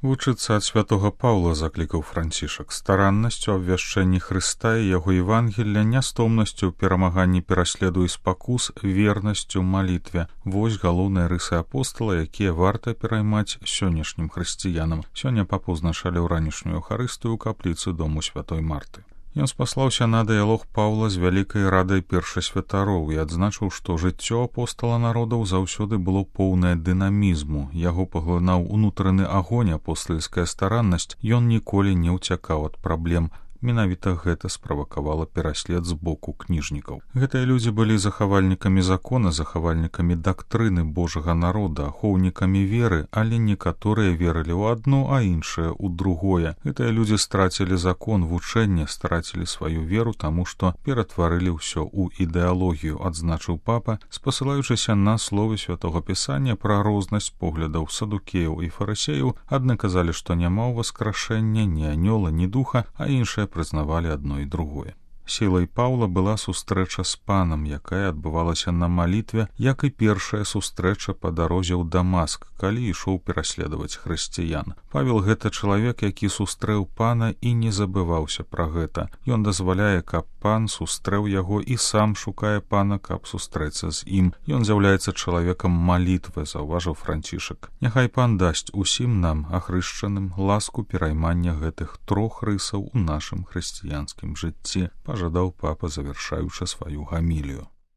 Вучыцца ад святога Паўла заклікаў Францішак стараннасцю абвяшчэнні Хрыста і яго Евангелля, нястомнасцю ў перамаганні пераследу і спакус, вернасцю малітве. Вось галоўныя рысы апостала, якія варта пераймаць сённяшнім хрысціянам. Сёння папу узначалі ў ранішнюю Эўхарыстыю ў капліцы дому святой Марты. Ён спаслаўся на дыялог Паўла з вялікай радай першасвятароў і адзначыў, што жыццё апостала народаў заўсёды было поўнае дынамізму. Яго паглынаў унутраны агонь, апостальская стараннасць, ён ніколі не ўцякаў ад праблем. Менавіта гэта справакавала пераслед з боку кніжнікаў. Гэтыя людзі былі захавальнікамі закона, захавальнікамі дактрыны Божага народа, ахоўнікамі веры, але некаторыя верылі ў адно, а іншыя ў другое. Гэтыя людзі страцілі закон, вучэнне, страцілі сваю веру, таму што ператварылі ўсё ў ідэалогію, адзначыў папа, спасылаючыся на словы святога Пісання пра рознасць поглядаў садукеяў і фарысеяў. Адны казалі, што няма ўваскрашэння ні анёла, ні духа, а іншыя прызнавалі адно і другое. Сілай Паўла была сустрэча з панам, якая адбывалася на малітве, як і першая сустрэча па дарозе ў Дамаск, калі ішоў пераследаваць хрысціян. Павел — гэта чалавек, які сустрэў пана і не забываўся пра гэта. Ён дазваляе, каб пан сустрэў яго і сам шукае пана, каб сустрэцца з ім. Ён з'яўляецца чалавекам малітвы, заўважыў Францішак. Няхай пан дасць усім нам, ахрышчаным, ласку пераймання гэтых трох рысаў у нашым хрысціянскім жыцці, пажадаў папа, завяршаючы сваю гамілію.